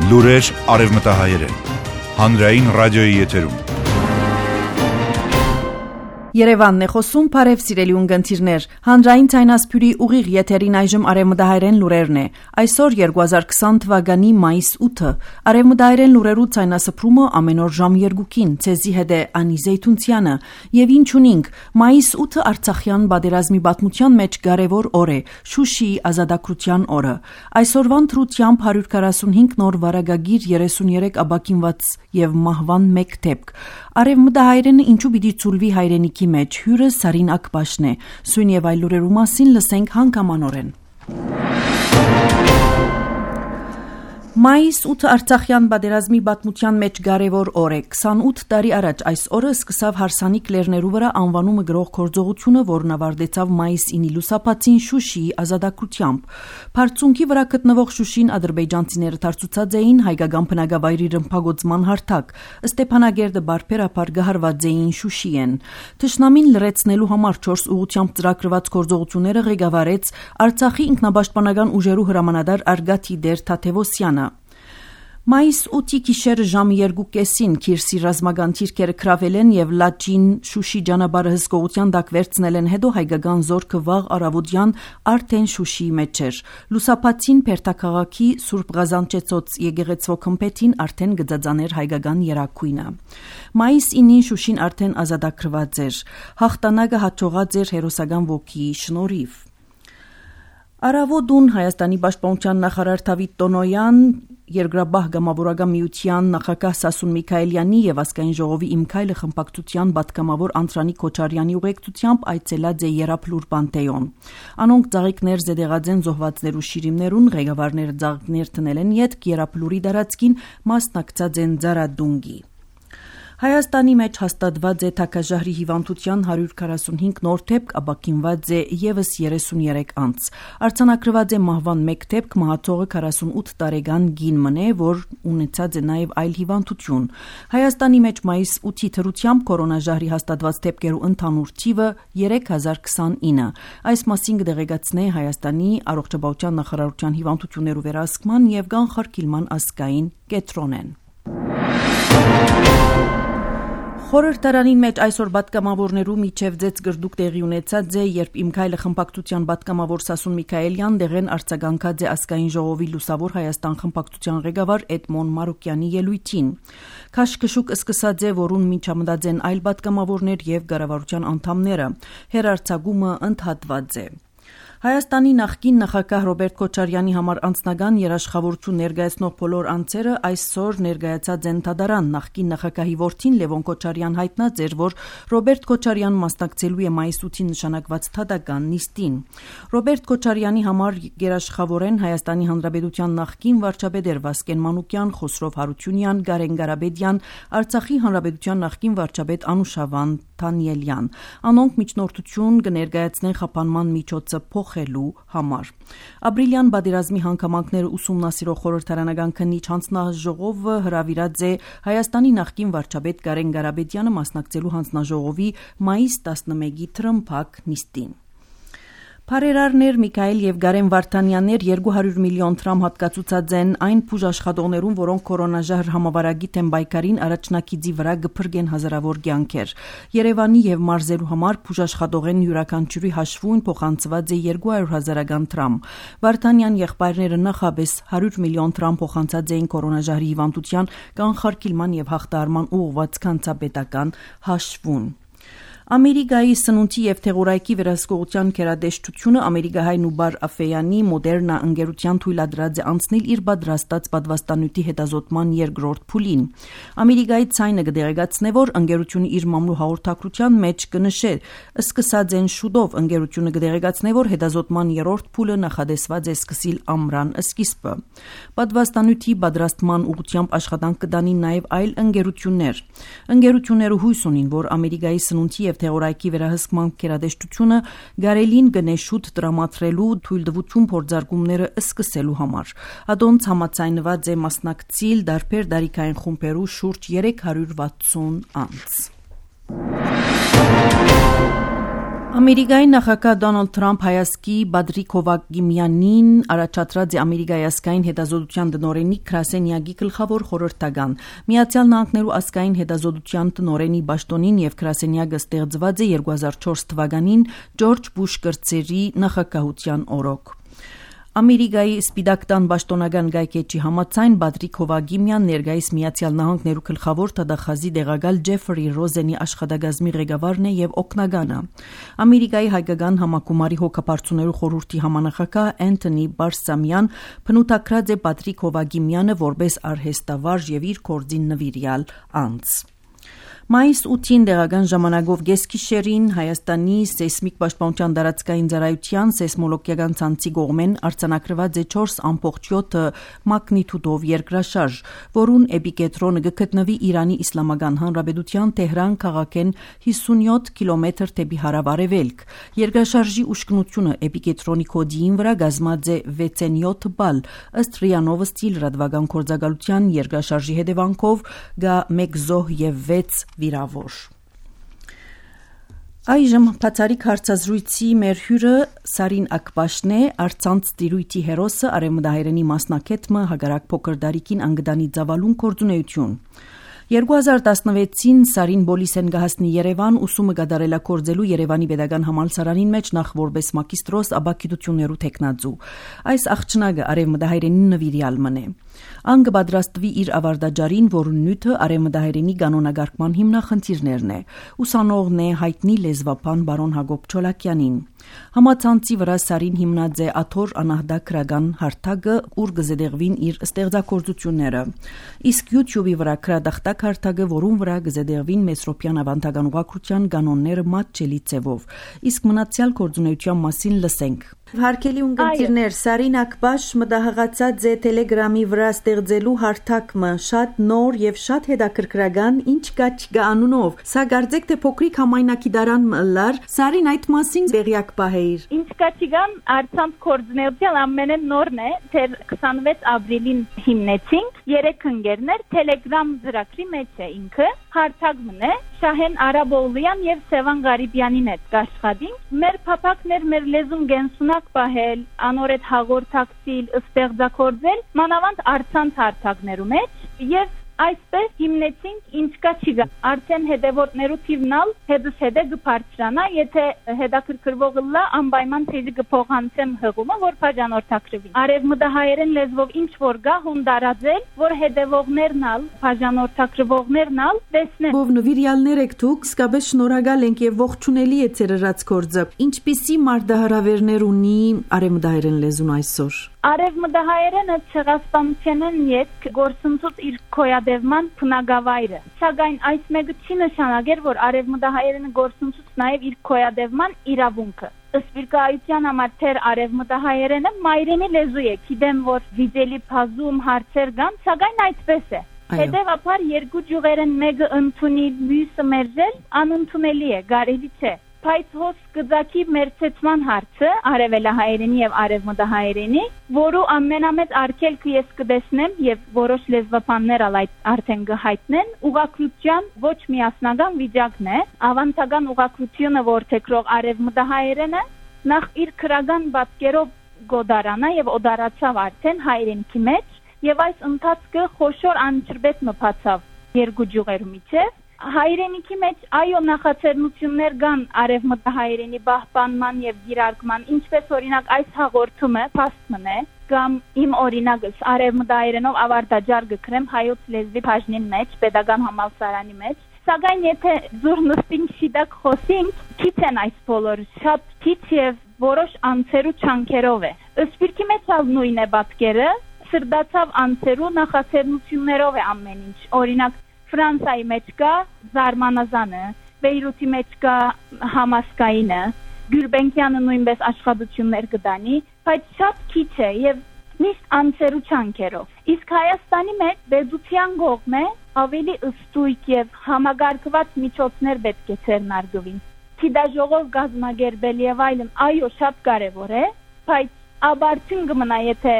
Լուրեր արևմտահայերեն։ Հանրային ռադիոյի եթերում։ Երևանն է խոսում, բարև սիրելի ունգընտիրներ, հանրային ցայնասփյուրի ուղիղ եթերին այժմ արևմտահայերեն լուրերն է։ Այսօր 2020 թվականի մայիս 8-ը, արևմտահայերեն լուրերու ցայնասփրումը ամեն օր ժամ 2-ին, ցեզի հետ է Անի Զեյթունցյանը, եւ ինչ ունինք, մայիս 8-ը Արցախյան բادرազմի պատմության մեջ կարևոր օր է, Շուշիի ազատագրության օրը։ Այսօրվան թրությամբ 145 նոր վարագագիր, 33 աբակինված եւ մահվան 1 դեպք։ Արևմտահայերենը ինչու պիտի ցուլվի հայրենիքի մեջ, հյուրը Սարին Ակբաշն է, սույն եւ այլ լուրերու մասին լսենք հանգամանորեն։ Մայիս 8 Արցախյան բادرազմի պատմության մեջ կարևոր օր է։ 28 տարի առաջ այս օրը սկսավ հարսանիք լեռներու վրա անվանումը գրող գործողությունը, որն ավարտեցավ մայիս 9-ի լուսաբացին Շուշիի ազատագրությամբ։ Բարձունքի վրա գտնվող Շուշին ադրբեջանցիները դարձուցած էին հայկական բնակավայրի ռմբագործման հարթակ։ Ստեփանագերդը բարբերաբար գահարված էին Շուշիեն։ Թշնամին լրացնելու համար 4 ուղղությամբ ծրագրված գործողությունները ղեկավարեց Արցախի ինքնապաշտպանական ուժերու հրամանատար Արգաթի Դեր Թաթևոսյանը։ Մայիս 8-ի գիշերը ժամ 2:30-ին Քիրսի ռազմական թիրքերը քրավել են եւ Լաչին Շուշի ճանապարհը հսկողության տակ վերցնել են, հետո հայկական զորքը վաղ առավոտյան արդեն Շուշիի մեջ էր։ Լուսաբացին Պերտաքաղաքի Սուրբ Ղազանչեցոց եկեղեցվո քմփեթին արդեն գծածաներ հայկական երակույնը։ Մայիս 9-ին Շուշին արդեն ազատագրված էր։ Հաղթանակը հաջողած էր հերոսական ոգիի շնորհիվ։ Արավոդուն Հայաստանի պաշտպանության նախարար Դավիթ Տոնոյան, Երկրաբահ գամավորական միության նախագահ Սասուն Միքայելյանի եւ ազգային ժողովի Իմ քայլը խմբակցության պատգամավոր Անդրանիկ Քոչարյանի ուղեկցությամբ այցելած է Երապլուր Պանթեոն։ Անոնք ծաղիկներ զետեղած են զոհվածներու շիրիմներուն, ղեկավարները ծաղիկներ տնել են յետք Երապլուրի դարածքին, մասնակցած են Ձարադունգի։ Հայաստանի մեջ հաստատված է թագաժահրի հիվանդության 145 նոր դեպք, աբակինված է եւս 33 անց։ Արձանագրված է մահվան 1 դեպք, մահացողը 48 տարեկան գին մնե, որ ունեցած է նաեւ այլ հիվանդություն։ Հայաստանի մեջ մայիս 8-ի թրությամբ կորոնաժահրի հաստատված դեպքերու ընդհանուր թիվը 3029։ Այս մասին կդեղեկացնե Հայաստանի առողջապահության նախարարության հիվանդություններու վերահսկման եւ կանխարգելման ազգային կենտրոնեն։ Խորհրդարանին մեջ այսօր պատգամավորներու միջև ձեծ գրդուկ տեղի ունեցած է, երբ Իմ քայլը խմբակցության պատգամավոր Սասուն Միքայելյան դեղեն արձագանքած է ազգային ժողովի Լուսավոր Հայաստան խմբակցության ղեկավար Էդմոն Մարուկյանի ելույթին։ Քաշքշուկ սկսած է, որուն միջամտած են այլ պատգամավորներ եւ կառավարության անդամները։ Հերարցակումը ընդհատված է։ Հայաստանի նախկին նախագահ Ռոբերտ Քոչարյանի համար անձնական երաշխավորություն ներկայացնող բոլոր անձերը այսօր ներկայացած են դատարան։ Նախկին նախագահի որդին Լևոն Քոչարյան հայտնած էր, որ Ռոբերտ Քոչարյան մասնակցելու է մայիս 8-ին նշանակված դատական նիստին։ Ռոբերտ Քոչարյանի համար երաշխավոր են Հայաստանի Հանրապետության նախկին վարչապետ Վասկեն Մանուկյան, Խոսրով Հարությունյան, Գարեն Ղարաբեդյան, Արցախի Հանրապետության նախկին վարչապետ Անուշավան Դանիելյան։ Անոնք միջնորդություն կներկայացնեն խափանման միջոցը փոխելու համար։ Ապրիլյան բادرազմի հանգամանքները ուսումնասիրող խորհրդարանական քննիչ հանձնաժողովը հրավիրած է Հայաստանի նախկին վարչապետ Գարեն Ղարաբեդյանը մասնակցելու հանձնաժողովի մայիս 11-ի թրմփակ նիստին։ Փարերարներ Միքայել եւ Գարեն Վարդանյաններ 200 միլիոն դրամ հատկացուցած են այն բուժաշխատողներուն, որոնք կորոնաժահր համավարագիտ են բայկարին առաջնակիցի վրա գփրկեն հազարավոր կյանքեր։ Երևանի եւ մարզերու համար բուժաշխատողեն յուրաքանչյուրի հաշվուն փոխանցված է 200,000 դրամ։ Վարդանյան եղբայրները նախաբես 100 միլիոն դրամ փոխանցած էին կորոնաժահրի հիվանդության կանխարգելման եւ հաղթահարման ուղղված կանցապետական հաշվուն։ Ամերիկայի սնունդի եւ թեղորայքի վերահսկողության քերադեշտությունը ամերիկահայ Նուբար Աֆեյանի Մոդերնա ընկերության թույլատրած է անցնել իր պատրաստած պատվաստանյութի հետազոտման երկրորդ փուլին։ Ամերիկայի ցայնը կդեղեկացնե, որ ընկերությունը իր մամլու հաղորդակցության մեջ կնշե, սկսած են շուտով ընկերությունը կդեղեկացնե, որ հետազոտման երրորդ փուլը նախադեсված է սկսիլ ամռան սկիզբը։ Պատվաստանյութի պատրաստման ուղղությամբ աշխատանք կդանի նաեւ այլ ընկերություններ։ Ընկերությունները հույս ունին, որ Ամերիկայի սնունդի թեղորայքի վերահսկման քերադեշտությունը գարելին գնե շուտ տրամադրելու թույլտվություն փորձարկումները սկսելու համար։ Ադոնց համաձայնված է մասնակցել դարբեր դարիքային խումբերու շուրջ 360 անձ։ Ամերիկայի նախագահ Դոնալդ Թրամփ հայացքի Բադրիկ Հովագիմյանին առաջադրած է Ամերիկայի ազգային հետազոտության տնօրենի Քրասենյակի գլխավոր խորհրդական։ Միացյալ Նահանգներու ազգային հետազոտության տնօրենի պաշտոնին եւ Քրասենյակը ստեղծված է 2004 թվականին Ջորջ Բուշ կրտսերի նախագահության օրոք։ Ամերիկայի Սպիտակ տան պաշտոնական գայքեջի համաձայն Բադրիկ Հովագիմյան ներկայիս Միացյալ Նահանգներու գլխավոր թադախազի դեղակալ Ջեֆրի Ռոզենի աշխատակազմի ղեկավարն է եւ օգնականը։ Ամերիկայի հայկական համակումարի հոգապարծուներու խորհրդի համանախագահ Անթոնի Բարսամյան փնութակրած է Բադրիկ Հովագիմյանը որպես արհեստավարժ եւ իր կորձին նվիրյալ անձ։ Մայիս 8-ին դեղական ժամանակով գեսկիշերին Հայաստանի սեյսմիկ պաշտպանության դարածքային ծառայության սեյսմոլոգիական ցանցի կողմեն արձանագրված է 4.7 մագնիտուդով երկրաշարժ, որուն էպիկենտրոնը գտնվի Իրանի Իսլամական Հանրապետության Թեհրան քաղաքեն 57 կիլոմետր դեպի հարավ-արևելք։ Երկրաշարժի ուշքնությունը էպիկենտրոնի կոդիին վրա կազմած է 6.7 բալ, ըստ ՌԻԱ Նովոստի լրատվական գործակալության երկրաշարժի հետևանքով գա 1 զոհ եւ 6 վիրավոր։ Այժմ բացառիկ հարցազրույցի մեր հյուրը Սարին Ակբաշն է, արցանց տիրույթի հերոսը արևմտահայերենի մասնակետը հագարակ փոքր դարիքին անգդանի ծավալուն կորձունեություն։ 2016-ին Սարին Բոլիսեն գահասնի Երևան ուսումը կատարելակործելու Երևանի Պետական Համալսարանին մեջ նախ որպես մագիստրոս աբակիտություններու տեխնացու։ Այս աղջնակը արևմտահայերենի նվիրյալ մնե։ Ան կպատրաստվի իր ավարտաճարին, որուն նյութը արևմտահայերենի կանոնագարկման հիմնախնդիրներն է։ Ուսանողն է հայտնի լեզվապան բարոն Հակոբ Չոլակյանին։ Համացանցի վրա Սարին հիմնած է աթոռ անահդակրական հարթակը, ուր կզետեղվին իր ստեղծագործությունները։ Իսկ YouTube-ի վրա քրադախտակ հարթակը, որուն վրա կզետեղվին Մեսրոպյան ավանդական ուղղակրության կանոնները մատչելի ձևով։ Իսկ մնացյալ գործունեության մասին լսենք։ Հարգելի ունկնդիրներ, Սարին Ակբաշ մտահղացած է Telegram-ի վրա ստեղծելու հարթակը շատ նոր եւ շատ հետաքրքրական, ինչ կա չկա անունով։ Սա կարծեք թե փոքրիկ համայնակի դարան մըլլար, Սարին այդ մասին դեղյակ պահեիր։ Ինչ կա չկան, արցանց կորձունեության ամենեն նորն է, թե 26 ապրիլին հիմնեցինք, 3 ընկերներ Telegram ծրագրի մեջ է ինքը, հարթակն է, Շահեն Արաբոուլյան եւ Սևան Ղարիբյանին հետ կաշխատինք։ Մեր փափակներ, մեր լեզուն գենսունակ պահել, անորետ հաղորդակցիլ, ստեղծագործել, մանավանդ արցանց հարթակներու մեջ եւ այսպես հիմնեցինք ինչ կա չկա։ Արդեն հետևորդներու թիվնալ հետս հետե կբարձրանա, եթե հետաքրքրվողը լա անպայման թեժի կփոխանցեմ հղումը, որ բաժանորդակրվի։ Արևմտահայերեն լեզվով ինչ որ գա հոնդարաձել, որ հետևողներն ալ, բաժանորդակրվողներն ալ տեսնեն։ Ով նվիրյալներ եք դուք, իսկապես շնորհակալ ենք եւ ողջունելի է ցերրած կորձը։ Ինչպիսի մարտահրավերներ ունի արևմտահայերեն լեզուն այսօր։ Արևմտահայերենը ցեղասպանությանն յետք գործընթաց իր կոյադևման փնագավայրը։ Սակայն այս մեկը չի նշանակեր, որ արևմտահայերենը գործընթաց նաև իր կոյադևման իրավունքը։ Սպիրկայության համար թեր արևմտահայերենը մայրենի լեզու է, գիտեմ, որ վիճելի բազում հարցեր կան, սակայն այդպես է։ Հետևաբար երկու ջուղերեն մեկը ընդունի, մյուսը մերժել անընդունելի է, կարելի չէ։ Բայց հոս կձակի մերցեցման հարցը արևելահայերենի եւ արևմտահայերենի, որու ամենամեծ արգելքը ես կտեսնեմ եւ որոշ լեզվաբաններ այդ արդեն կհայտնեն, ուղղակրության ոչ միասնական վիճակն է, ավանդական ուղղակրությունը որթեքրող արևմտահայերենը նախ իր քրական պատկերով գոդարանա եւ օդարացավ արդեն հայրենիքի մեջ եւ այս ընթացքը խոշոր անջրբետ մփացավ երկու ջուղերու միջև։ Հայրենիքի մեջ այո նախաձեռնություններ կան արևմտահայերենի պահպանման եւ դիրարկման, ինչպես օրինակ այս հաղորդումը փաստմն է, կամ իմ օրինակս արևմտահայերենով ավարտաճար գկրեմ հայոց լեզվի բաժնին մեջ, Պետական համալսարանի մեջ, սակայն եթե զուր նստին շիտակ խոսենք, քիչ են այս բոլորը, շատ քիչ եւ որոշ անցերու չանքերով է։ Սպիրկի մեջ ալ նույն է պատկերը, սրդացավ անցերու նախաձեռնություններով է ամեն ինչ, օրինակ Ֆրանսայի մեջ կա Զարմանազանը, Բեյրութի մեջ կա Համասկայինը, Գյուլբենկյանը նույնպես աշխատություններ կդանի, բայց շատ քիչ է եւ միշտ անցերու չանքերով։ Իսկ Հայաստանի մեջ դեդուցիան կողմ է ավելի ըստույկ եւ համագարկված միջոցներ պետք է ցերնարգվին։ Թիդաժողով գազմագերբել եւ այլն, այո, շատ կարեւոր է, բայց աբարցին կմնա, եթե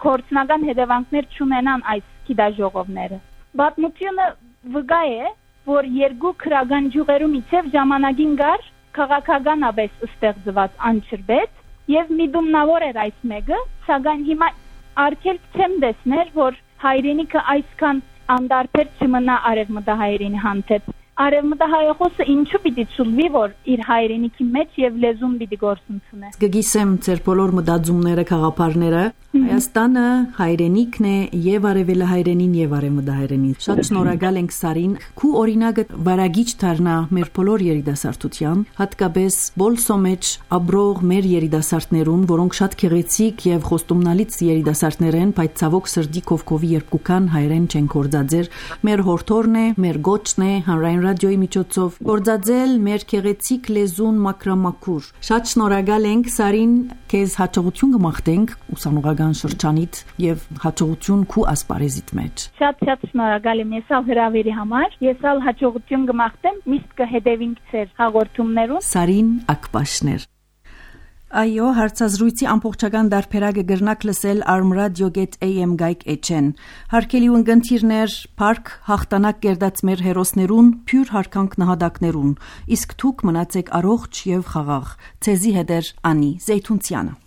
կորցնական հետևանքներ չունենան այս թիդաժողովները։ Պատմությունը վկա է, որ երկու քրական ջուղերու միջև ժամանակին գար քաղաքականապես ստեղծված անչրբետ եւ միդումնավոր էր այս մեկը, սակայն հիմա արգելք չեմ տեսնել, որ հայրենիքը այսքան անդարբեր չմնա արևմտահայերենի հանդեպ։ Արևմտահայախոսը ինչու պիտի ճուլվի, որ իր հայրենիքի մեջ եւ լեզուն պիտի գործունեությունը։ Գգիսեմ ձեր բոլոր մտածումները, խաղապարները, Հայաստանը հայրենիքն է եւ արևելահայերենին եւ արևմտահայերենին։ Շատ շնորհակալ ենք Սարին։ Քու օրինակը վարագիչ դառնա մեր բոլոր երիտասարդության, հատկապես բոլսո մեջ ապրող մեր երիտասարդներուն, որոնք շատ քեղեցիկ եւ խոստումնալից երիտասարդներ են, բայց ցավոք սրտի կովկովի երկուքան հայերեն չեն գործածեր։ Մեր հորթորն է, մեր գոչն է հանրային ռադիոյի միջոցով գործածել մեր քեղեցիկ լեզուն մակրամակուր։ Շատ շնորհակալ ենք Սարին, քեզ հաջողություն կմաղթենք ուսանողական շրջանիդ եւ հաջողություն քու ասպարեզիդ մեջ։ Շատ շնորհակալ եմ ես հրավերի համար։ Ես հաջողություն կմաղթեմ, միշտ կհետևենք ձեր հաղորդումներուն։ Սարին Ակպաշներ։ Այո, հարցազրույցի ամբողջական դարբերակը գրնակ լսել armradio.am գայք էջեն։ Հարկելի ունգընթիրներ, парք հաղթանակ կերդած մեր հերոսներուն, փյուր հարկանք նահատակներուն։ Իսկ դուք մնացեք առողջ եւ խաղաղ։ Ցեզի հետեր Անի Զեյթունցյանը։